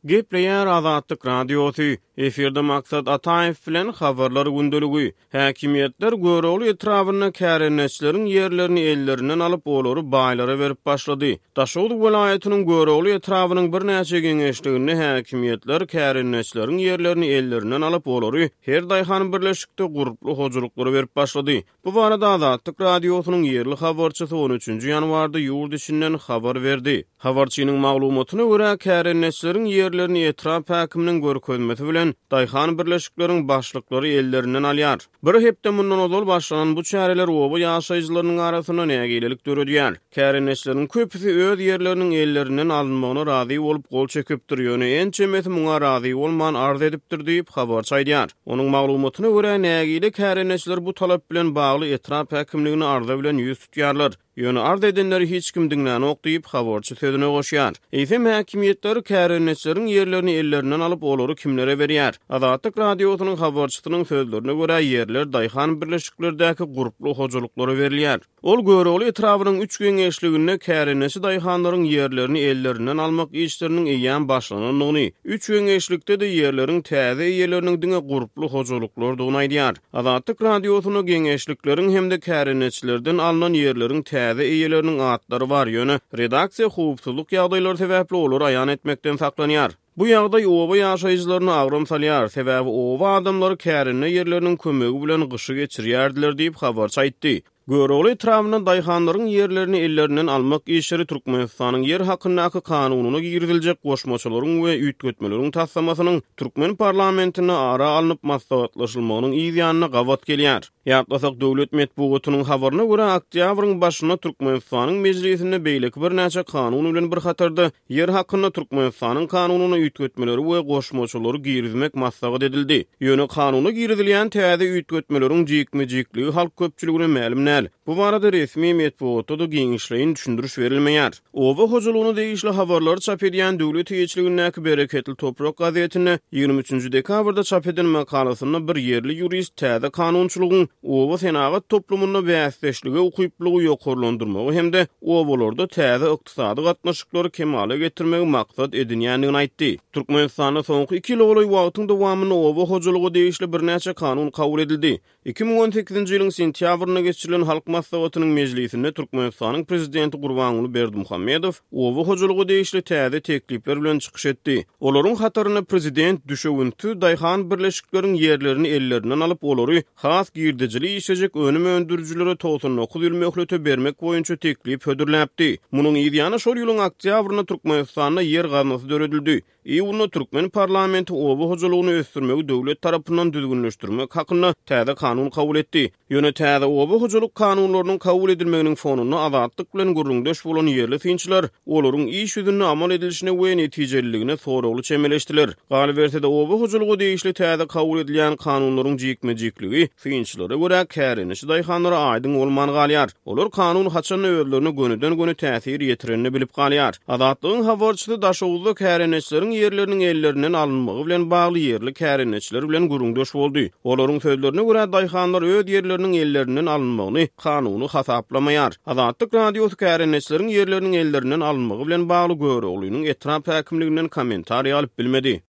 Gepleýär Azatlyk Radiosy, Efirde Maksat Ataýew bilen Habarlar gündeligi. Häkimiýetler Görogly etrabynda kärendeçileriň ýerlerini ellerinden alyp, olary baýlara berip başlady. Daşoguz welaýatynyň Görogly etrabynyň birnäçe geňeşliginde häkimiýetler kärendeçileriň ýerlerini ellerinden alyp, olary her daýhan birleşikde gurply hojalyklara berip başlady. Bu barada Azatlyk Radiosynyň ýerli habarçysy on üçünji ýanwarda ýurt içinden habar berdi. Habarçynyň maglumatyna görä, kärendeçileriň ýerlerini etrap häkiminiň görkezmesi bilen daýhan birleşikleriň başlyklary ellerinden alýar. Bir hepde mundan ozal başlanan bu çäreler oba ýaşaýjylarynyň arasynda nägilelik döredýär. Kärendeçileriň köpüsi öz ýerleriniň ellerinden alynmagyna razy bolup gol çekipdir, ýöne ençemesi muňa razy bolman arz edipdir diýip, habarçy aýdýar. Onuň maglumatyna görä, nägile kärendeçiler bu talap bilen bagly etrap häkimligine arza bilen ýüz tutýarlar. Ýöne arz edenleri hiç kim diňlänok diýip, habarçy sözüne goşýar. Eýsem, häkimiýetler kärendeçileriň ýerlerini ellerinden alyp, olary kimlere berýär? Azatlyk Radiosynyň habarçysynyň sözlerine görä, ýerler daýhan birleşiklerdäki gurply hojalyklara berilýär. Ol Görogly etrabynyň üç geňeşliginde kärendeçi daýhanlaryň ýerlerini ellerinden almak işleriniň eýýäm başlanandygyny, üç geňeşlikde-de ýerleriň täze eýeleriniň diňe gurply hojalyklardygyny aýdýar. Azatlyk Radiosynda geňeşlikleriň hem-de kärendeçilerden alnan ýerleriň täze eýeleriniň atlary bar, ýöne redaksiýa howpsuzlyk ýagdaýlary sebäpli olary aýan etmekden saklanýar. Bu ýagdaý oba ýaşaýjylaryna agram salýar, sebäbi oba adamlary kärende ýerleriniň kömegi bilen gyşy geçirýärdiler diýip, habarçy aýtdy. Görogly etrabynda daýhanlaryň ýerlerini ellerinden almak işleri Türkmenistanyň Ýer hakyndaky kanunyna giriziljek goşmaçalaryň we üýtgetmeleriň taslamasynyň türkmen parlamentinde ara alnyp maslahatlaşylmagynyň yz ýanyna gabat gelýär. Ýatlasak, döwlet metbugatynyň habaryna görä, oktýabryň başynda Türkmenistanyň Mejlisinde beýleki birnäçe kanun bilen bir hatarda Ýer hakynda Türkmenistanyň Kanunyna üýtgetmeleri we goşmaçalary girizmek maslahat edildi. Ýöne kanuna girizilýän täze üýtgetmeleriň jikme-jikligi halk köpçüligine mälim däl. Bu barada resmi metbugatda-da giňişleýin düşündiriş berilmeýär. Oba hojalygyna degişli habarlary çap edýän döwlet eýeçiligindäki Bereketli toprak gazetinde 23 nji dekabrda çap eden makalasynda bir ýerli ýurist täze kanunçylygyň oba senagat toplumynda bäsdeşlige ukyplylygy ýokarlandyrmagy hem-de obalarda täze ykdysady gatnaşyklary kemala getirmegi maksat edinýändigini aýtdy. Türkmenistanda soňky iki ýyla golaý wagtyň dowamynda oba hojalyga degişli birnäçe kanun kabul edildi. 2018-nji ýylyň sentýabrynda geçirilen Halk Maslahatynyň mejlisinde Türkmenistanyň Prezidenti Gurbanguly Berdimuhamedow oba hojalyga degişli täze teklipler bilen çykyş etdi. Olaryň hatarynda prezident düşewüntsiz daýhan birleşikleriň ýerlerini ellerinden alyp, olary has girdejili işlejek önüm öndürijilere 99 ýyl möhlete bermek boýunça teklip hödürläpdi. Munuň yzýany şol ýylyň oktýabrynda Türkmenistanda Ýer gaznasy döredildi. Iýunda türkmen parlamenti oba hojalygyny ösdürmegi döwlet tarapyndan düzgünleşdirmek hakynda täze kanun kabul etdi. Ýöne täze oba hojalyk kanunlarynyň kabul edilmeginiň fonunda Azatlyk bilen gürrüňdeş bolan ýerli synçylar olaryň iş ýüzünde amal edilişine we netijeliligine soragly çemeleşdiler. Galyberse-de, oba hojalyga degişli täze kabul edilýän kanunlaryň jikme-jikligi, synçylara görä, kärendeçi daýhanlara aýdyň bolman galýar. Olar kanun haçanda özlerine gönüden-göni täsir ýetirenini bilip galýar. Azatlygyň habarçysy Daşoguzda kärendeçileriň ýerleriniň ellerinden alynmagy bilen bagly ýerli kärendeçiler bilen gürrüňdeş boldy. Olaryň sözlerine görä, daýhanlar öz ýerleriniň ellerinden alynmagyny kanuny hasaplamaýar. Azatlyk Radiosy kärendeçileriň ýerleriniň ellerinden alynmagy bilen bagly Göroglynyň etrap häkimliginden kommentariý alyp bilmedi.